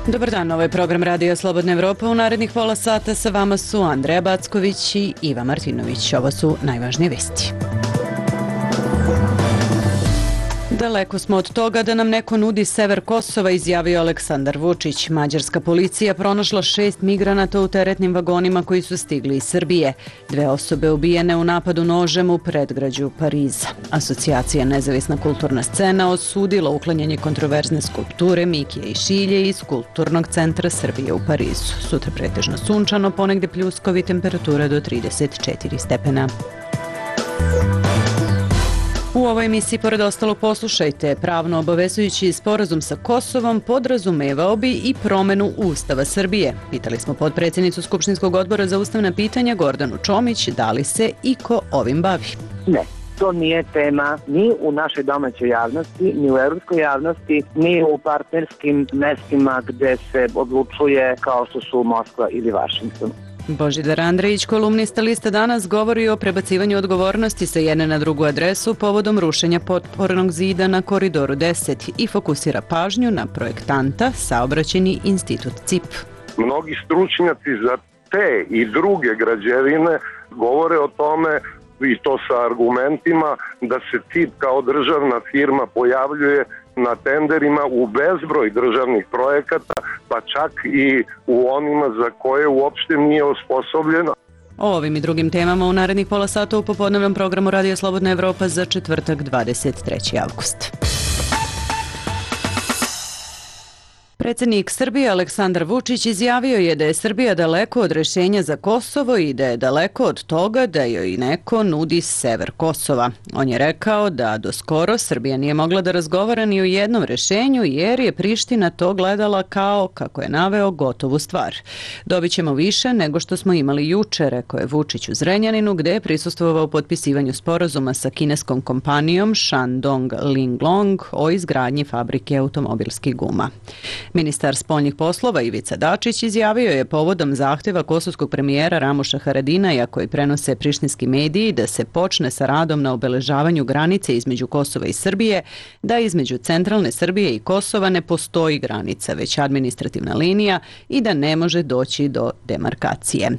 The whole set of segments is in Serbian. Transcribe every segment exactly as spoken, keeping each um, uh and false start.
Dobar dan, ovo je program Radija Slobodna Evropa. U narednih pola sata sa vama su Andreja Backović i Iva Martinović. Ovo su najvažnije vesti. Daleko smo od toga da nam neko nudi sever Kosova, izjavio Aleksandar Vučić. Mađarska policija pronašla šest migranata u teretnim vagonima koji su stigli iz Srbije. Dve osobe ubijene u napadu nožem u predgrađu Pariza. Asocijacija Nezavisna kulturna scena osudila uklanjanje kontroverzne skulpture Mikije i Šilje iz Kulturnog centra Srbije u Parizu. Sutra pretežno sunčano, ponegde pljuskovi, temperatura do trideset četiri stepena. U ovoj emisiji, pored ostalog, poslušajte, pravno obavezujući sporazum sa Kosovom podrazumevao bi i promenu Ustava Srbije. Pitali smo potpredsjednicu Skupštinskog odbora za ustavna pitanja Gordanu Čomić da li se iko ovim bavi. Ne. To nije tema ni u našoj domaćoj javnosti, ni u evropskoj javnosti, ni u partnerskim mestima gde se odlučuje kao što su Moskva ili Vašington. Božidar Andrejić, kolumnista Lista Danas, govori o prebacivanju odgovornosti sa jedne na drugu adresu povodom rušenja potpornog zida na Koridoru deset i fokusira pažnju na projektanta Saobraćajni institut C I P. Mnogi stručnjaci za te i druge građevine govore o tome, i to sa argumentima, da se C I P kao državna firma pojavljuje na tenderima u bezbroj državnih projekata, pa čak i u onima za koje uopšte nije osposobljeno. O ovim i drugim temama u narednih pola sata u popodnevnom programu Radija Slobodna Evropa za četvrtak dvadeset treći avgust. Predsjednik Srbije Aleksandar Vučić izjavio je da je Srbija daleko od rješenja za Kosovo i da je daleko od toga da joj neko nudi sever Kosova. On je rekao da do skoro Srbija nije mogla da razgovara ni o jednom rješenju jer je Priština to gledala kao, kako je naveo, gotovu stvar. Dobit ćemo više nego što smo imali juče, rekao je Vučić u Zrenjaninu, gde je prisustvovao potpisivanju sporazuma sa kineskom kompanijom Shandong Linglong o izgradnji fabrike automobilskih guma. Ministar spoljnih poslova Ivica Dačić izjavio je povodom zahtjeva kosovskog premijera Ramuša Haradinaja koji prenose prištinski mediji da se počne sa radom na obeležavanju granice između Kosova i Srbije, da između centralne Srbije i Kosova ne postoji granica, već administrativna linija i da ne može doći do demarkacije.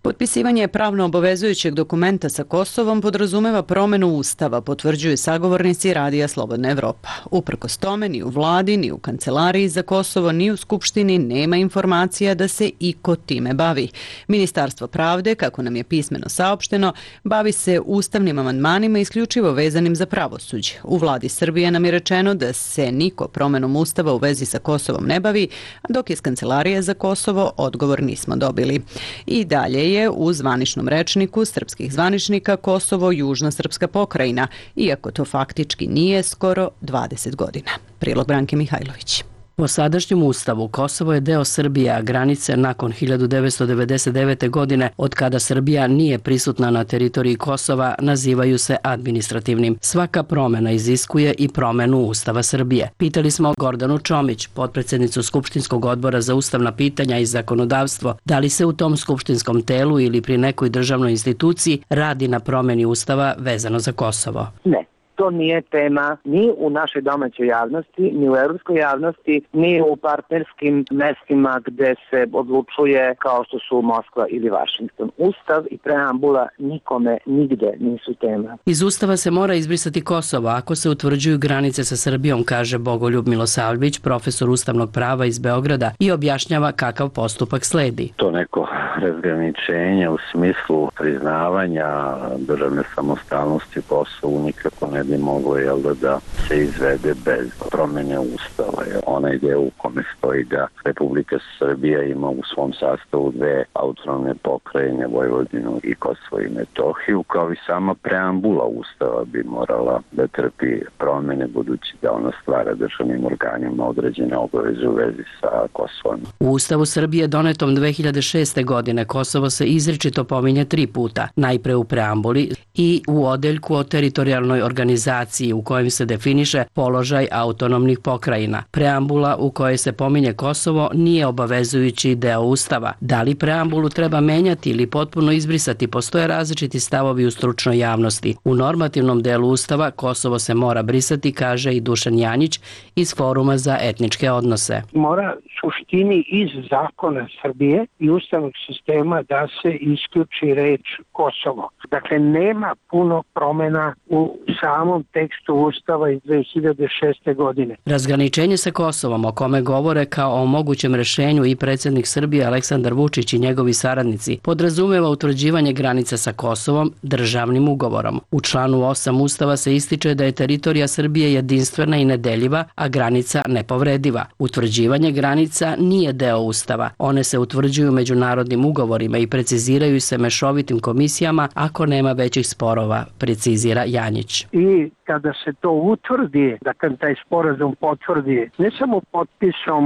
Potpisivanje pravno obavezujućeg dokumenta sa Kosovom podrazumeva promenu Ustava, potvrđuju sagovornici Radija Slobodna Evropa. Uprkos tome, ni u vladi, ni u kancelariji za Kosovo, ni u Skupštini nema informacija da se iko time bavi. Ministarstvo pravde, kako nam je pismeno saopšteno, bavi se ustavnim amandmanima isključivo vezanim za pravosuđe. U vladi Srbije nam je rečeno da se niko promenom Ustava u vezi sa Kosovom ne bavi, dok iz kancelarije za Kosovo odgovor nismo dobili. I dalje je u zvaničnom rečniku srpskih zvaničnika Kosovo južna srpska pokrajina, iako to faktički nije skoro dvadeset godina. Prilog Branke Mihajlović. Po sadašnjem ustavu Kosovo je deo Srbije, a granice nakon hiljadu devetsto devedeset devete. godine, od kada Srbija nije prisutna na teritoriji Kosova, nazivaju se administrativnim. Svaka promjena iziskuje i promjenu Ustava Srbije. Pitali smo Gordanu Čomić, potpredsjednicu Skupštinskog odbora za ustavna pitanja i zakonodavstvo, da li se u tom skupštinskom telu ili pri nekoj državnoj instituciji radi na promjeni Ustava vezano za Kosovo. Ne. To nije tema ni u našoj domaćoj javnosti, ni u evropskoj javnosti, ni u partnerskim mestima gde se odlučuje kao što su Moskva ili Vašington. Ustav i preambula nikome nigde nisu tema. Iz Ustava se mora izbrisati Kosovo ako se utvrđuju granice sa Srbijom, kaže Bogoljub Milosavljević, profesor ustavnog prava iz Beograda, i objašnjava kakav postupak sledi. To neko razgraničenje u smislu priznavanja državne samostalnosti Kosovu nikako ne bi moglo jel, da, da se izvede bez promjene Ustava. Onaj deo u kome stoji da Republika Srbija ima u svom sastavu dve autonomne pokrajine, Vojvodinu i Kosovo i Metohiju, kao i sama preambula Ustava bi morala da trpi promjene, budući da ona stvara državnim organima određene obaveze u vezi sa Kosovom. U Ustavu Srbije donetom dve hiljade šeste. godine Kosovo se izričito pominje tri puta, najpre u preambuli i u odeljku o teritorijalnoj organizaciji organizaciji u kojem se definiše položaj autonomnih pokrajina. Preambula u kojoj se pominje Kosovo nije obavezujući deo Ustava. Da li preambulu treba menjati ili potpuno izbrisati, postoje različiti stavovi u stručnoj javnosti. U normativnom delu Ustava Kosovo se mora brisati, kaže i Dušan Janjić iz Foruma za etničke odnose. Mora suštini iz zakona Srbije i ustavnog sistema da se isključi reč Kosovo. Dakle, nema puno promjena u samom tekstu Ustava iz dve hiljade šeste. godine. Razgraničenje sa Kosovom, o kome govore kao o mogućem rešenju i predsjednik Srbije Aleksandar Vučić i njegovi saradnici, podrazumeva utvrđivanje granica sa Kosovom državnim ugovorom. U članu osam Ustava se ističe da je teritorija Srbije jedinstvena i nedeljiva, a granica nepovrediva. Utvrđivanje granica nije deo Ustava. One se utvrđuju međunarodnim ugovorima i preciziraju se mešovitim komisijama ako nema većih sporova, precizira Janjić. I kada se to utvrdi, da kad taj sporazum potvrdi ne samo potpisom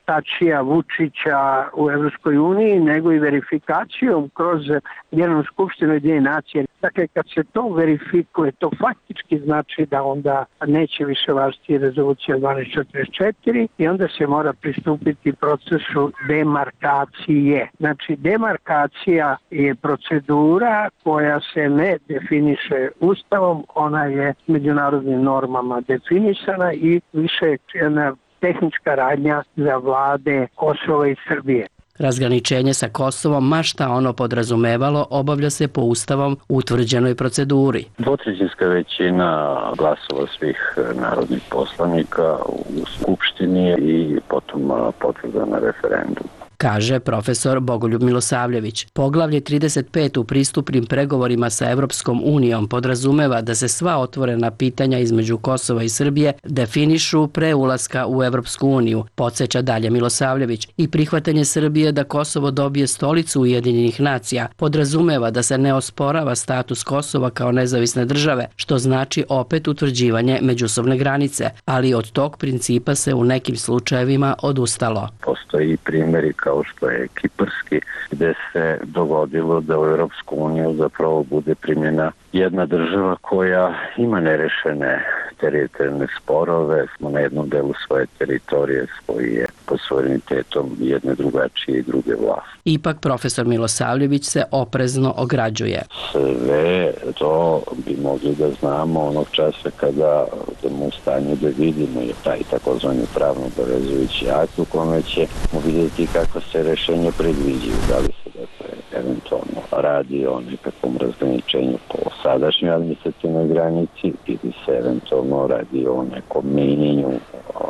Tačija, Vučića u Evropskoj uniji, nego i verifikacijom kroz Generalnu skupštinu Ujedinjenih nacija. Dakle, kad se to verifikuje, to faktički znači da onda neće više važiti rezolucija dvanaest četrdeset četiri i onda se mora pristupiti procesu demarkacije. Znači, demarkacija je procedura koja se ne definiše Ustavom, ona je međunarodnim normama definisana i više jedna tehnička radnja za vlade Kosova i Srbije. Razgraničenje sa Kosovom, ma šta ono podrazumevalo, obavlja se po Ustavom utvrđenoj proceduri. Dvotrećinska većina glasova svih narodnih poslanika u Skupštini i potom potvrda na referendum, kaže profesor Bogoljub Milosavljević. Poglavlje trideset pet u pristupnim pregovorima sa Evropskom unijom podrazumeva da se sva otvorena pitanja između Kosova i Srbije definišu pre ulaska u Evropsku uniju, podsjeća dalje Milosavljević. I prihvatanje Srbije da Kosovo dobije stolicu Ujedinjenih nacija podrazumeva da se ne osporava status Kosova kao nezavisne države, što znači opet utvrđivanje međusobne granice, ali od tog principa se u nekim slučajevima odustalo. Postoji primjeri kao kao što je kiparski, gde se dogodilo da u Europsku uniju zapravo bude primjena jedna država koja ima nerešene teritorijalne sporove, smo na jednom delu svoje teritorije koji je pod suverenitetom jedne drugačije i druge vlasti. Ipak profesor Milosavljević se oprezno ograđuje. Sve to bi mogli da znamo onog časa kada budemo u stanju da vidimo je taj takozvani pravno obavezujući akt u kome ćemo vidjeti kako se rešenje predviđaju, da li se dakle eventualno radi o nekakvom razgraničenju po sadašnjoj administrativnoj granici ili se eventualno radi o nekom menjanju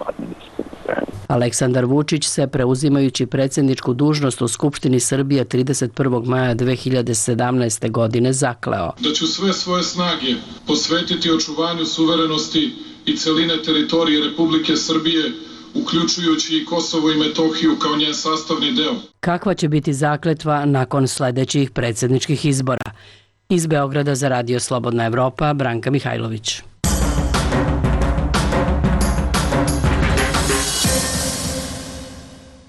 administrativnoj granici. Aleksandar Vučić se, preuzimajući predsjedničku dužnost u Skupštini Srbije trideset prvog maja dve hiljade sedamnaeste. godine, zakleo da ću sve svoje snage posvetiti očuvanju suverenosti i celine teritorije Republike Srbije, uključujući i Kosovo i Metohiju kao njen sastavni deo. Kakva će biti zakletva nakon sledećih predsjedničkih izbora? Iz Beograda za Radio Slobodna Evropa, Branka Mihajlović.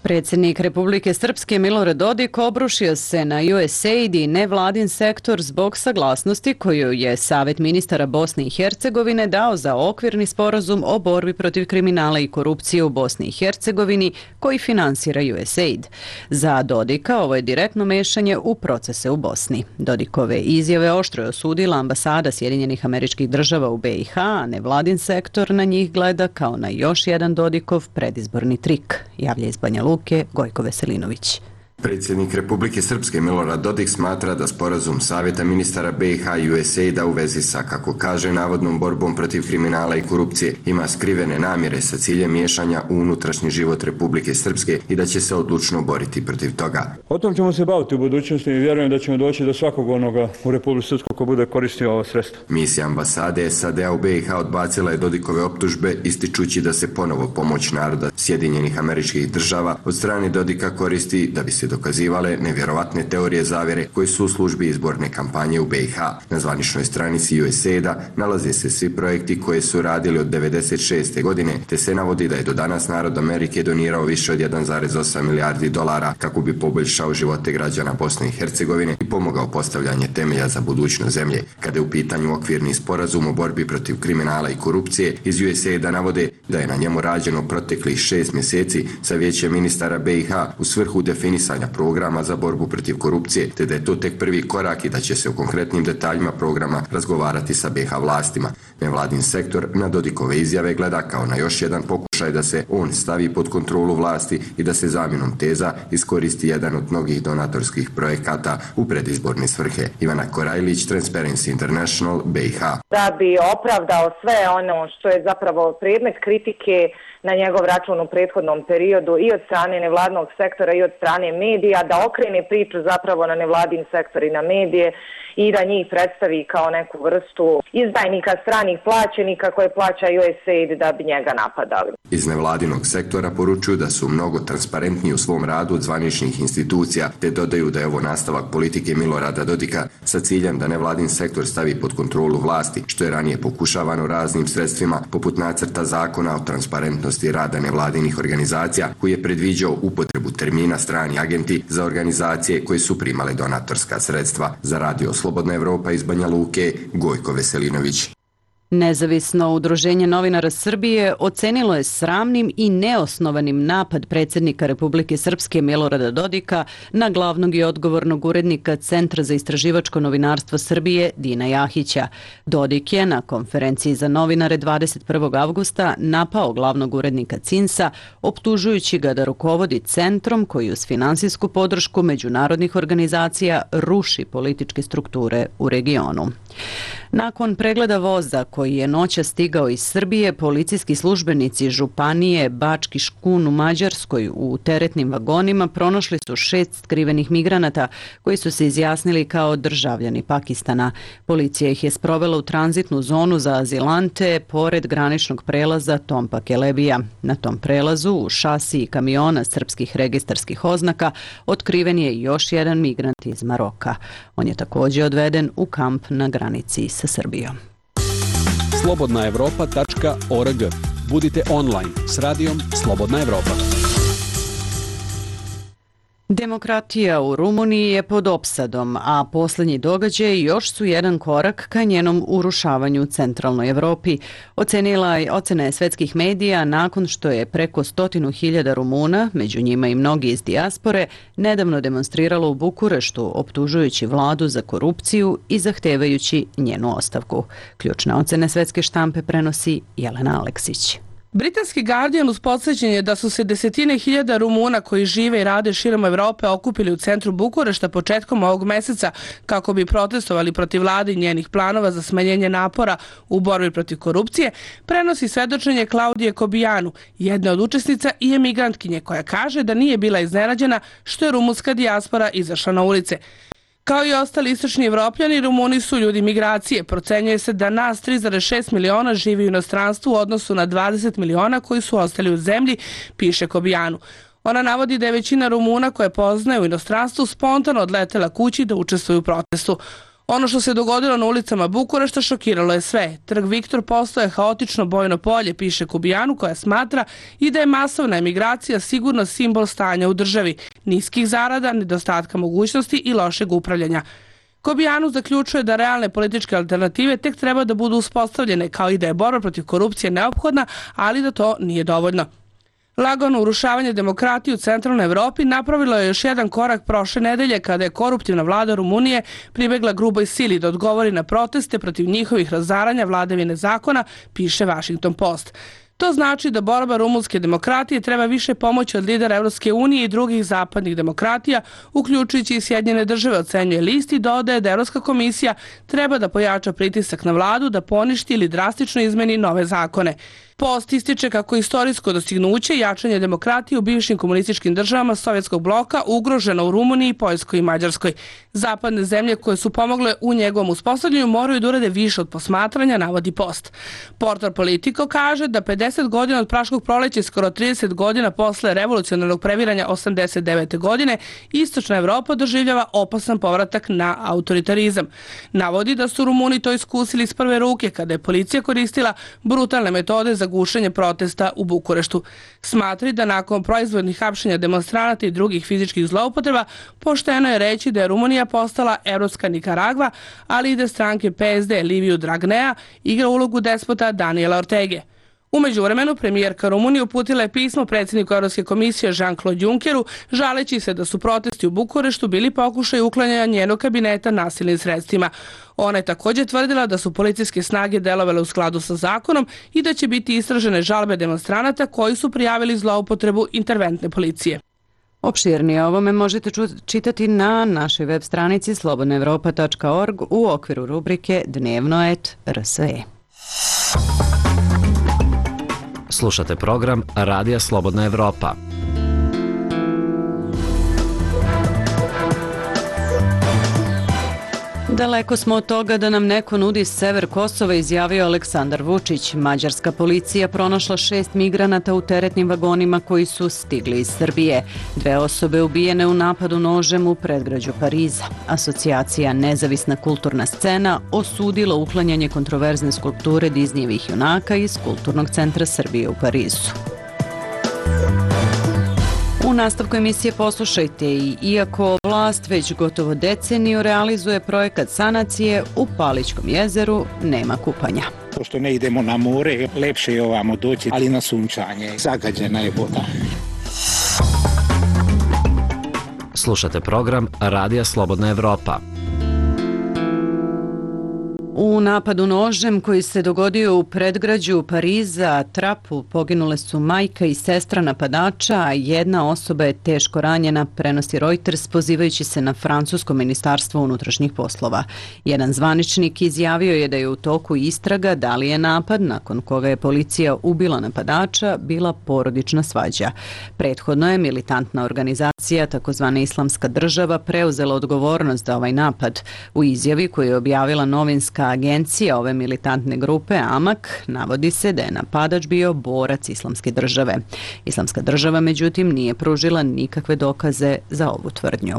Predsjednik Republike Srpske Milorad Dodik obrušio se na U S A I D i nevladin sektor zbog saglasnosti koju je Savet ministara Bosne i Hercegovine dao za okvirni sporazum o borbi protiv kriminala i korupcije u Bosni i Hercegovini koji finansira U S A I D. Za Dodika ovo je direktno mešanje u procese u Bosni. Dodikove izjave oštro je osudila ambasada Sjedinjenih Američkih Država u B i H, a nevladin sektor na njih gleda kao na još jedan Dodikov predizborni trik, javlja iz Banja Luke Gojko Veselinović. Predsjednik Republike Srpske Milorad Dodik smatra da sporazum Savjeta ministara B i H i U S A I D-a u vezi sa, kako kaže, navodnom borbom protiv kriminala i korupcije ima skrivene namjere sa ciljem miješanja u unutrašnji život Republike Srpske i da će se odlučno boriti protiv toga. O tom ćemo se baviti u budućnosti i vjerujem da ćemo doći do svakog onoga u Republike Srpskoj ko bude koristio ovo sredstvo. Misija ambasade S A D-a u B i H odbacila je Dodikove optužbe, ističući da se ponovo pomoć naroda Sjedinjenih Američkih Država od strane Dodika koristi da bi se dokazivale nevjerovatne teorije zavjere koje su u službi izborne kampanje u B i H. Na zvaničnoj stranici U S A I D-a nalaze se svi projekti koje su radili od devedeset šeste. godine, te se navodi da je do danas narod Amerike donirao više od jedan zarez osam milijardi dolara kako bi poboljšao živote građana Bosne i Hercegovine i pomogao postavljanje temelja za budućnost zemlje. Kada je u pitanju okvirni sporazum o borbi protiv kriminala i korupcije, iz U S A I D-a navode da je na njemu rađeno proteklih šest mjeseci sa vijećem ministara B i H u svrhu definisanja programa za borbu protiv korupcije, te da je to tek prvi korak i da će se u konkretnim detaljima programa razgovarati sa B i H vlastima. Nevladin sektor na Dodikove izjave gleda kao na još jedan pokušaj da se on stavi pod kontrolu vlasti i da se zamjenom teza iskoristi jedan od mnogih donatorskih projekata u predizborne svrhe. Ivana Korajlić, Transparency International, B i H. Da bi opravdao sve ono što je zapravo predmet kritike na njegov račun u prethodnom periodu i od strane nevladnog sektora i od strane medija, da okrene priču zapravo na nevladin sektor i na medije i da njih predstavi kao neku vrstu izdajnika stranih plaćenika koje plaća U S A I D da bi njega napadali. Iz nevladinog sektora poručuju da su mnogo transparentniji u svom radu od zvaničnih institucija, te dodaju da je ovo nastavak politike Milorada Dodika sa ciljem da nevladin sektor stavi pod kontrolu vlasti, što je ranije pokušavano raznim sredstvima, poput nacrta zakona o transparentnosti rada nevladinih organizacija, koji je predviđao upotrebu termina strani agenti za organizacije koje su primale donatorska sredstva. Za Radio Slobodna Evropa iz Banja Luke, Gojko Veselinović. Nezavisno udruženje novinara Srbije ocenilo je sramnim i neosnovanim napad predsjednika Republike Srpske Milorada Dodika na glavnog i odgovornog urednika Centra za istraživačko novinarstvo Srbije Dina Jahića. Dodik je na konferenciji za novinare dvadeset prvog avgusta napao glavnog urednika C I N S-a, optužujući ga da rukovodi centrom koji uz finansijsku podršku međunarodnih organizacija ruši političke strukture u regionu. Nakon pregleda voza koji je noća stigao iz Srbije, policijski službenici županije Bački Škun u Mađarskoj u teretnim vagonima pronašli su šest skrivenih migranata koji su se izjasnili kao državljani Pakistana. Policija ih je sprovela u tranzitnu zonu za azilante pored graničnog prelaza Tompa Kelebija. Na tom prelazu u šasiji kamiona srpskih registarskih oznaka otkriven je još jedan migrant iz Maroka. On je također odveden u kamp na granici sa Srbijom. slobodna evropa tačka org. Budite online s radijom Slobodna Evropa. Demokratija u Rumuniji je pod opsadom, a posljednji događaj još su jedan korak ka njenom urušavanju u centralnoj Evropi. Ocenila je ocene svetskih medija nakon što je preko stotinu hiljada Rumuna, među njima i mnogi iz dijaspore, nedavno demonstriralo u Bukureštu, optužujući vladu za korupciju i zahtevajući njenu ostavku. Ključne ocene svetske štampe prenosi Jelena Aleksić. Britanski Guardian uz podsjećanje da su se desetine hiljada Rumuna koji žive i rade širom Evrope okupili u centru Bukurešta početkom ovog meseca kako bi protestovali protiv vlade i njenih planova za smanjenje napora u borbi protiv korupcije, prenosi svedočenje Klaudije Kobijanu, jedne od učesnica i emigrantkinje, koja kaže da nije bila iznenađena što je rumunska dijaspora izašla na ulice. Kao i ostali istočni Evropljani, Rumuni su ljudi migracije. Procenjuje se da nas tri zarez šest miliona živi u inostranstvu u odnosu na dvadeset miliona koji su ostali u zemlji, piše Kobijanu. Ona navodi da je većina Rumuna koje poznaje u inostranstvu spontano odletela kući da učestvuju u protestu. Ono što se dogodilo na ulicama Bukurešta šokiralo je sve. Trg Viktor postao je haotično bojno polje, piše Kobijanu, koja smatra i da je masovna emigracija sigurno simbol stanja u državi, niskih zarada, nedostatka mogućnosti i lošeg upravljanja. Kobijanu zaključuje da realne političke alternative tek treba da budu uspostavljene, kao i da je borba protiv korupcije neophodna, ali da to nije dovoljno. Lagano urušavanje demokratije u centralnoj Evropi napravilo je još jedan korak prošle nedelje kada je koruptivna vlada Rumunije pribegla gruboj sili da odgovori na proteste protiv njihovih razaranja vladavine zakona, piše Washington Post. To znači da borba rumunske demokratije treba više pomoći od lidera Evropske unije i drugih zapadnih demokratija, uključujući i Sjedinjene države, ocenjuje list i dodaje da Evropska komisija treba da pojača pritisak na vladu da poništi ili drastično izmeni nove zakone. Post ističe kako istorijsko dostignuće i jačanje demokratije u bivšim komunističkim državama Sovjetskog bloka ugroženo u Rumuniji, Poljskoj i Mađarskoj. Zapadne zemlje koje su pomogle u njegovom uspostavljanju moraju da urade više od posmatranja, navodi Post. Portal Politico kaže da pedeset godina od Praškog proleća i skoro trideset godina posle revolucionarnog previranja osamdeset devete. godine istočna Evropa doživljava opasan povratak na autoritarizam. Navodi da su Rumuni to iskusili iz prve ruke kada je policija koristila brutalne metode za gušenje protesta u Bukureštu. Smatri da nakon proizvodnih hapšenja demonstranata i drugih fizičkih zloupotreba pošteno je reći da je Rumunija postala evropska Nikaragva, ali i da stranke P S D Liviju Dragnea igra ulogu despota Daniela Ortege. U međuvremenu, premijerka Rumunije uputila je pismo predsjedniku Evropske komisije Jean-Claude Junckeru, žaleći se da su protesti u Bukureštu bili pokušaj uklanjanja njenog kabineta nasilnim sredstvima. Ona je također tvrdila da su policijske snage delovale u skladu sa zakonom i da će biti istražene žalbe demonstranata koji su prijavili zloupotrebu interventne policije. Opširnije o ovome možete čitati na našoj web stranici slobodna evropa tačka org u okviru rubrike Dnevno et R S E. Slušate program Radija Slobodna Evropa. Daleko smo od toga da nam neko nudi sever Kosova, izjavio Aleksandar Vučić. Mađarska policija pronašla šest migranata u teretnim vagonima koji su stigli iz Srbije. Dve osobe ubijene u napadu nožem u predgrađu Pariza. Asocijacija Nezavisna kulturna scena osudila uklanjanje kontroverzne skulpture Disneyevih junaka iz Kulturnog centra Srbije u Parizu. U nastavku emisije poslušajte i iako vlast već gotovo deceniju realizuje projekat sanacije, u Palićkom jezeru nema kupanja. Pošto ne idemo na more, lepše je ovamo doći, ali na sunčanje. Zagađena je voda. Slušate program Radija Slobodna Evropa. U napadu nožem koji se dogodio u predgrađu Pariza, Trapu, poginule su majka i sestra napadača, a jedna osoba je teško ranjena, prenosi Reuters, pozivajući se na francusko ministarstvo unutrašnjih poslova. Jedan zvaničnik izjavio je da je u toku istraga da li je napad, nakon koga je policija ubila napadača, bila porodična svađa. Prethodno je militantna organizacija, takozvana Islamska država, preuzela odgovornost za ovaj napad. U izjavi koju je objavila novinska agencija ove militantne grupe Amak navodi se da je napadač bio borac Islamske države. Islamska država, međutim, nije pružila nikakve dokaze za ovu tvrdnju.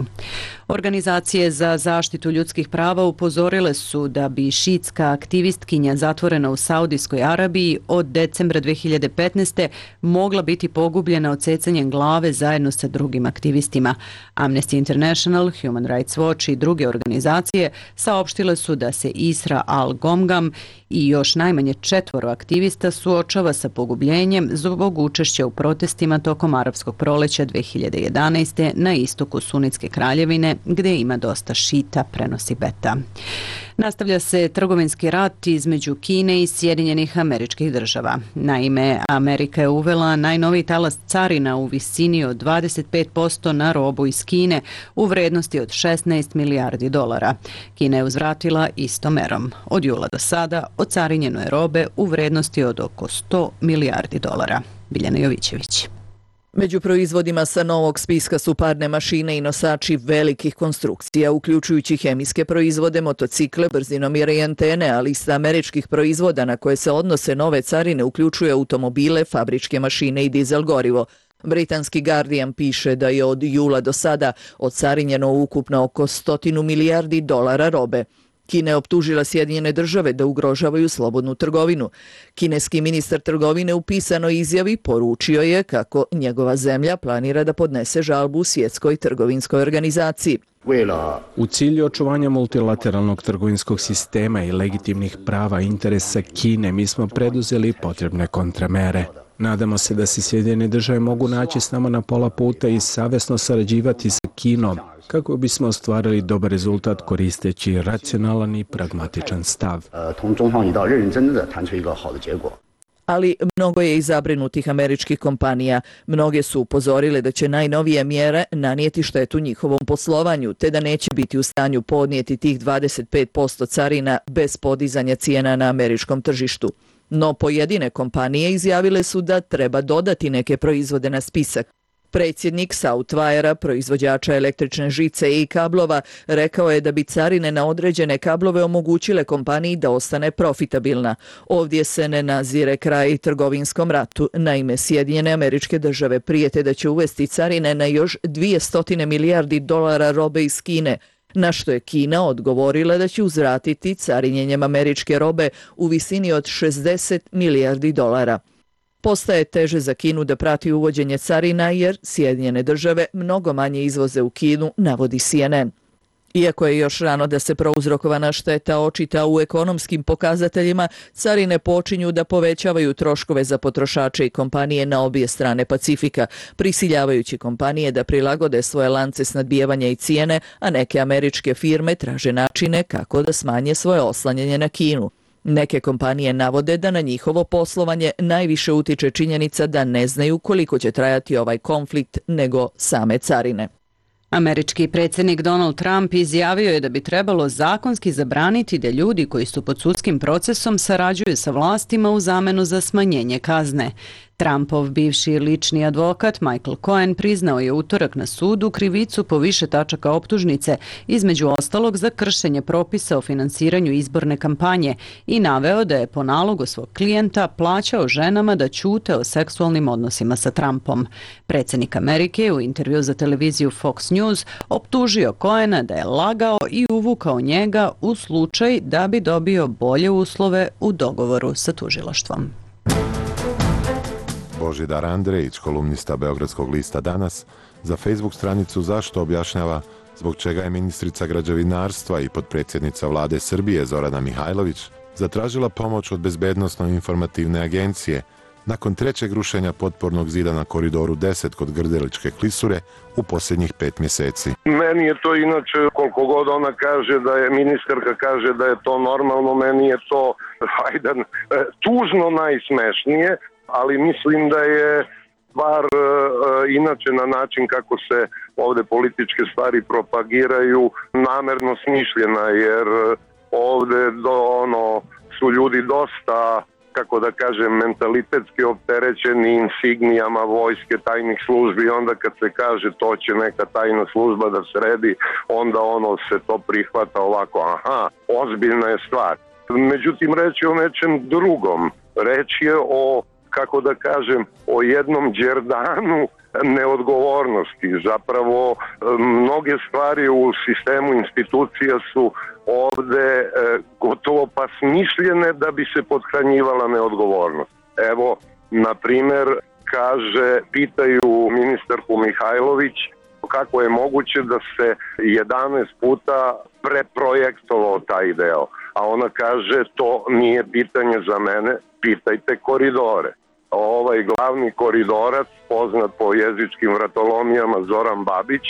Organizacije za zaštitu ljudskih prava upozorile su da bi šiitska aktivistkinja zatvorena u Saudijskoj Arabiji od decembra dve hiljade petnaeste. mogla biti pogubljena odsecanjem glave zajedno sa drugim aktivistima. Amnesty International, Human Rights Watch i druge organizacije saopštile su da se Isra Al-Gomgam i još najmanje četvoro aktivista suočava sa pogubljenjem zbog učešća u protestima tokom arapskog proleća dve hiljade jedanaeste. na istoku Sunitske kraljevine, gde ima dosta šita, prenosi Beta. Nastavlja se trgovinski rat između Kine i Sjedinjenih Američkih Država. Naime, Amerika je uvela najnoviji talas carina u visini od dvadeset pet posto na robu iz Kine u vrednosti od šesnaest milijardi dolara. Kina je uzvratila istom merom. Od jula do sada ocarinjeno je robe u vrednosti od oko sto milijardi dolara. Biljana Jovićević. Među proizvodima sa novog spiska su parne mašine i nosači velikih konstrukcija, uključujući hemijske proizvode, motocikle, brzinomjere i antene, a lista američkih proizvoda na koje se odnose nove carine uključuje automobile, fabričke mašine i dizel gorivo. Britanski Guardian piše da je od jula do sada ocarinjeno ukupno oko stotinu milijardi dolara robe. Kina je optužila Sjedinjene države da ugrožavaju slobodnu trgovinu. Kineski ministar trgovine u pisanoj izjavi poručio je kako njegova zemlja planira da podnese žalbu u Svjetskoj trgovinskoj organizaciji. U cilju očuvanja multilateralnog trgovinskog sistema i legitimnih prava i interesa Kine mi smo preduzeli potrebne kontramere. Nadamo se da se Sjedinjene države mogu naći s nama na pola puta i savjesno sarađivati sa Kinom kako bismo ostvarili dobar rezultat koristeći racionalan i pragmatičan stav. Ali mnogo je i zabrinutih američkih kompanija. Mnoge su upozorile da će najnovije mjere nanijeti štetu njihovom poslovanju, te da neće biti u stanju podnijeti tih dvadeset pet posto carina bez podizanja cijena na američkom tržištu. No pojedine kompanije izjavile su da treba dodati neke proizvode na spisak. Predsjednik Southwire-a, proizvođača električne žice i kablova, rekao je da bi carine na određene kablove omogućile kompaniji da ostane profitabilna. Ovdje se ne nazire kraj trgovinskom ratu. Naime, Sjedinjene Američke Države prijete da će uvesti carine na još dvjesto milijardi dolara robe iz Kine, na što je Kina odgovorila da će uzvratiti carinjenjem američke robe u visini od šezdeset milijardi dolara. Postaje teže za Kinu da prati uvođenje carina jer Sjedinjene Države mnogo manje izvoze u Kinu, navodi C N N. Iako je još rano da se prouzrokovana šteta očita u ekonomskim pokazateljima, carine počinju da povećavaju troškove za potrošače i kompanije na obje strane Pacifika, prisiljavajući kompanije da prilagode svoje lance snabdijevanja i cijene, a neke američke firme traže načine kako da smanje svoje oslanjanje na Kinu. Neke kompanije navode da na njihovo poslovanje najviše utiče činjenica da ne znaju koliko će trajati ovaj konflikt nego same carine. Američki predsjednik Donald Trump izjavio je da bi trebalo zakonski zabraniti da ljudi koji su pod sudskim procesom sarađuju sa vlastima u zamenu za smanjenje kazne. Trumpov bivši lični advokat Michael Cohen priznao je utorak na sudu krivicu po više tačaka optužnice, između ostalog za kršenje propisa o finansiranju izborne kampanje i naveo da je po nalogu svog klijenta plaćao ženama da ćute o seksualnim odnosima sa Trumpom. Predsjednik Amerike u intervju za televiziju Fox News optužio Cohena da je lagao i uvukao njega u slučaj da bi dobio bolje uslove u dogovoru sa tužilaštvom. Božidar Andrejić, kolumnista Beogradskog lista Danas, za Facebook stranicu Zašto objašnjava zbog čega je ministrica građevinarstva i potpredsjednica vlade Srbije Zorana Mihajlović zatražila pomoć od Bezbednosno-informativne agencije nakon trećeg rušenja potpornog zida na Koridoru deset kod Grdeličke klisure u posljednjih pet mjeseci. Meni je to inače, koliko god ona kaže da je, ministarka kaže da je to normalno, meni je to hajde, tužno najsmešnije, ali mislim da je stvar e, inače na način kako se ovdje političke stvari propagiraju namerno smišljena, jer ovdje do, ono, su ljudi dosta, kako da kažem, mentalitetski opterećeni insignijama vojske, tajnih službi, onda kad se kaže to će neka tajna služba da sredi, onda ono se to prihvata ovako, aha, ozbiljna je stvar. Međutim, reč je o nečem drugom. Reč je o, kako da kažem, o jednom đerdanu neodgovornosti. Zapravo, mnoge stvari u sistemu institucija su ovde e, gotovo pa smišljene da bi se pothranjivala neodgovornost. Evo, na primer, kaže, pitaju ministarku Mihajlović kako je moguće da se jedanaest puta preprojektovao taj deo. A ona kaže, to nije pitanje za mene, pitajte koridore. Ovaj glavni koridorac, poznat po jezičkim vratolomijama Zoran Babić,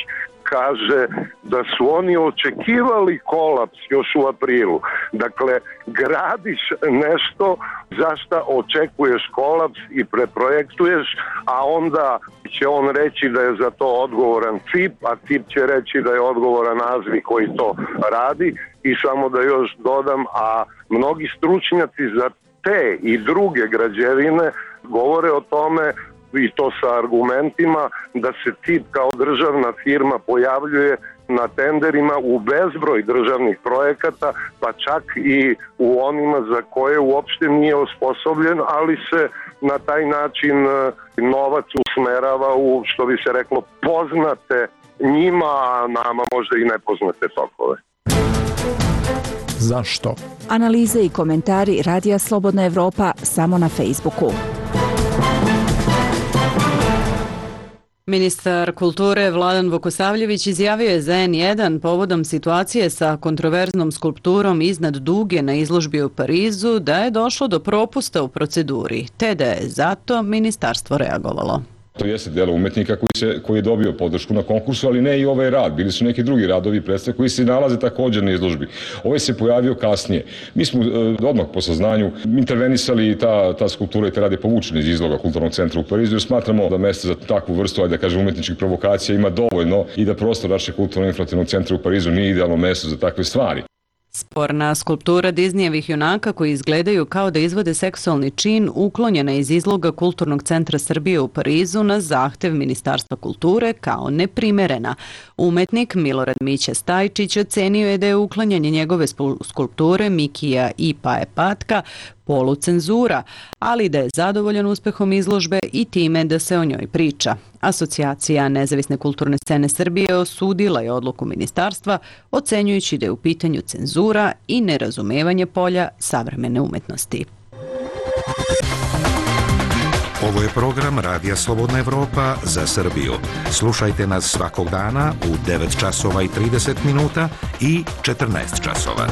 kaže da su oni očekivali kolaps još u aprilu. Dakle, gradiš nešto za šta očekuješ kolaps i preprojektuješ, a onda će on reći da je za to odgovoran C I P, a C I P će reći da je odgovoran Azvi koji to radi. I samo da još dodam, a mnogi stručnjaci za te i druge građevine govore o tome, i to sa argumentima, da se C I P kao državna firma pojavljuje na tenderima u bezbroj državnih projekata, pa čak i u onima za koje uopšte nije osposobljen, ali se na taj način novac usmerava u, što bi se reklo, poznate njima, a nama možda i nepoznate tokove. Zašto? Analize i komentari Radija Slobodna Evropa samo na Facebooku. Ministar kulture Vladan Vukosavljević izjavio je za N jedan povodom situacije sa kontroverznom skulpturom iznad Duge na izložbi u Parizu da je došlo do propusta u proceduri, te da je zato ministarstvo reagovalo. To jeste delo umetnika koji, se, koji je dobio podršku na konkursu, ali ne i ovaj rad. Bili su neki drugi radovi predstave koji se nalaze također na izložbi. Ovaj se pojavio kasnije. Mi smo e, odmah po saznanju intervenisali i ta, ta skulptura i te rade povučene iz izloga Kulturnog centra u Parizu, jer smatramo da mjesto za takvu vrstu, ajde da kažem, umetničkih provokacija ima dovoljno i da prostor našeg Kulturno-informativnog centra u Parizu nije idealno mjesto za takve stvari. Sporna skulptura Disneyevih junaka koji izgledaju kao da izvode seksualni čin uklonjena iz izloga Kulturnog centra Srbije u Parizu na zahtev Ministarstva kulture kao neprimerena. Umetnik Milorad Mića Stajčić ocenio je da je uklanjanje njegove skulpture Mikija i Paje Patka polucenzura, ali da je zadovoljan uspehom izložbe i time da se o njoj priča. Asocijacija Nezavisne kulturne scene Srbije osudila je odluku ministarstva, ocenjujući da je u pitanju cenzura i nerazumevanje polja savremene umetnosti. Ovo je program Radija Slobodna Evropa za Srbiju. Slušajte nas svakog dana u devet časova i trideset minuta i četrnaest časova.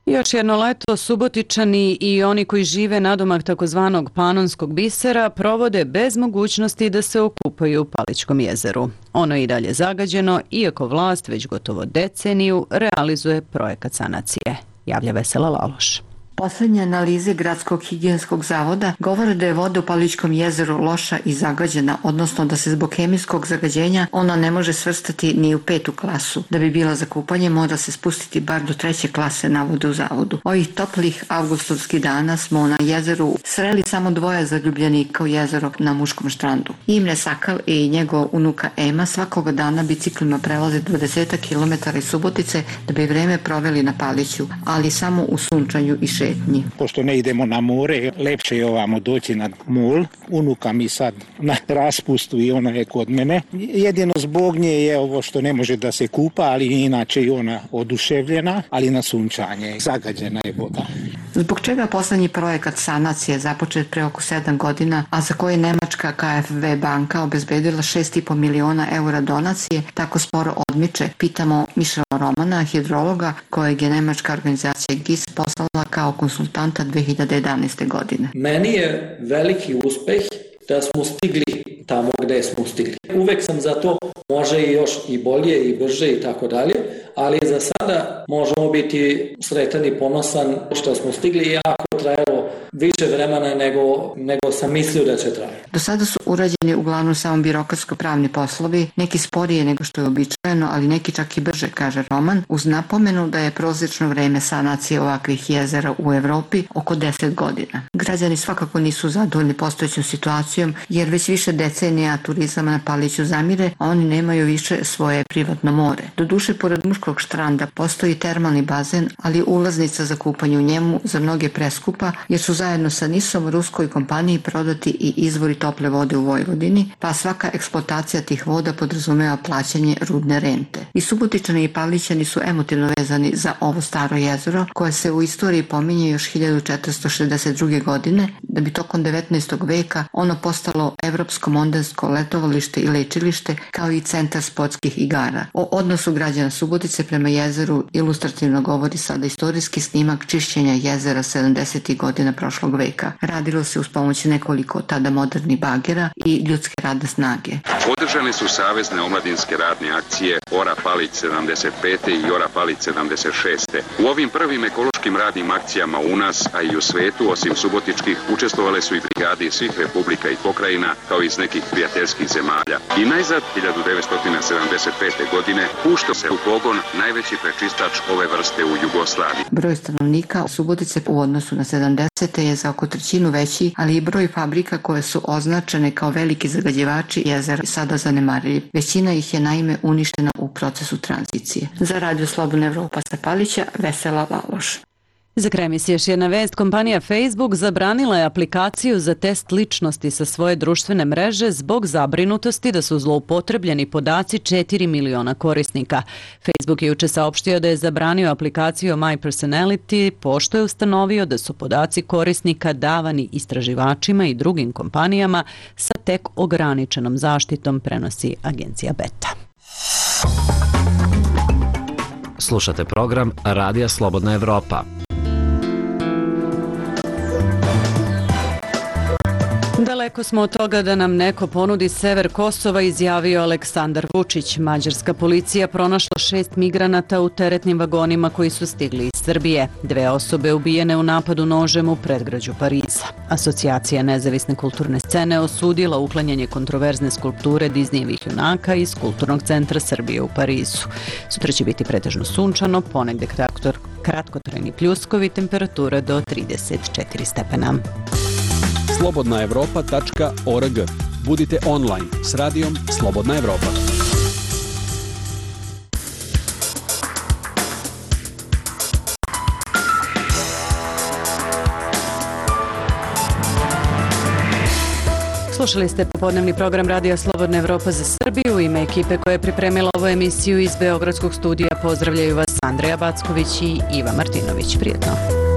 Još jedno leto Subotičani i oni koji žive nadomak takozvanog Panonskog bisera provode bez mogućnosti da se okupaju u Palićkom jezeru. Ono je i dalje zagađeno, iako vlast već gotovo deceniju realizuje projekat sanacije. Javlja Vesela Laloš. Poslednje analize Gradskog higijenskog zavoda govore da je voda u Palićkom jezeru loša i zagađena, odnosno da se zbog hemijskog zagađenja ona ne može svrstati ni u petu klasu. Da bi bila za kupanje mora se spustiti bar do treće klase, navode u zavodu. Ovih toplih avgustovskih dana smo na jezeru sreli samo dvoje zaljubljenika u jezero na muškom štrandu. Imre Sakal i njegov unuka Ema svakoga dana biciklima prelaze dvadeset kilometara iz Subotice da bi vreme proveli na Paliću, ali samo u sunčanju i šetnji. Pošto ne idemo na more, lepše je ovamo doći na mol. Unuka mi sad na raspustu i ona je kod mene. Jedino zbog nje je ovo što ne može da se kupa, ali inače je ona oduševljena, ali na sunčanje. Zagađena je voda. Zbog čega poslednji projekat sanacije započet pre oko sedam godina, a za koje Nemačka K F V banka obezbedila šest i po miliona eura donacije, tako sporo odmiče, pitamo Mišela Romana, hidrologa, kojeg je nemačka organizacija G I S poslala kao konsultanta dve hiljade jedanaeste. godine. Meni je veliki uspeh da smo stigli tamo gde smo stigli. Uvek sam za to, može i još i bolje i brže i tako dalje, ali za sada možemo biti sretan i ponosan što smo stigli, iako trajalo više vremena nego, nego sam mislio da će trajati. Do sada su urađeni uglavnom samo birokratsko-pravni poslovi, neki sporije nego što je običajeno, ali neki čak i brže, kaže Roman, uz napomenu da je prosječno vreme sanacije ovakvih jezera u Evropi oko deset godina. Građani svakako nisu zadovoljni postojećom situacijom, jer već više decenija turizam na Paliću zamire, a oni nemaju više svoje privatno more. Doduše, pored muškog štranda postoji termalni bazen, ali ulaznica za kupanje u njemu za mnoge preskupa, jer su zajedno sa Nisom ruskoj kompaniji prodati i izvori tople vode u Vojvodini, pa svaka eksploatacija tih voda podrazumeva plaćanje rudne rente. I Subotičani i Palićani su emotivno vezani za ovo staro jezero, koje se u istoriji pominje još hiljadu četiristo šezdeset druge. godine, da bi tokom devetnaestog veka ono postalo evropsko mondensko letovalište i lečilište, kao i centar sportskih igara. O odnosu građana Subotice prema jezeru ilustrativno govori sada istorijski snimak čišćenja jezera sedamdesetih godina prošlog veka. Radilo se uz pomoć nekoliko tada modernih bagera i ljudske radne snage. Održane su savezne omladinske radne akcije Ora Palić sedamdeset pete i Ora Palić sedamdeset šeste. U ovim prvim ekološkim radnim akcijama u nas, a i u svetu, osim subotičkih, učestvovale su i brigade iz svih republika i pokrajina, kao i iz nekih prijateljskih zemalja. I najzad, hiljadu devetsto sedamdeset pete. godine, pušta se u pogon najveći prečistač ove vrste u Jugoslaviji. Broj stanovnika Subotice u odnosu na sedamdesete. je za oko trećinu veći, ali i broj fabrika koje su označene kao veliki zagađivači jezera sada zanemarljiv. Većina ih je naime uništena u procesu tranzicije. Za Radio Slobodna Evropa sa Palića, Vesela Laloš. Za kraj emisije još jedna vest. Kompanija Facebook zabranila je aplikaciju za test ličnosti sa svoje društvene mreže zbog zabrinutosti da su zloupotrebljeni podaci četiri miliona korisnika. Facebook je juče saopštio da je zabranio aplikaciju My Personality, pošto je ustanovio da su podaci korisnika davani istraživačima i drugim kompanijama sa tek ograničenom zaštitom, prenosi agencija Beta. Slušate program Radija Slobodna Evropa. Daleko smo od toga da nam neko ponudi sever Kosova, izjavio Aleksandar Vučić. Mađarska policija pronašla šest migranata u teretnim vagonima koji su stigli iz Srbije. Dve osobe ubijene u napadu nožem u predgrađu Pariza. Asocijacija nezavisne kulturne scene osudila uklanjanje kontroverzne skulpture Disneyevih junaka iz Kulturnog centra Srbije u Parizu. Sutra će biti pretežno sunčano, ponegde kratkotrajni pljuskovi, temperatura do trideset četiri stepena. slobodna evropa tačka org. Budite online s radijom Slobodna Evropa. Slušali ste popodnevni program Radija Slobodna Evropa za Srbiju. U ime ekipe koja je pripremila ovu emisiju iz Beogradskog studija pozdravljaju vas Andreja Backović i Iva Martinović. Prijetno.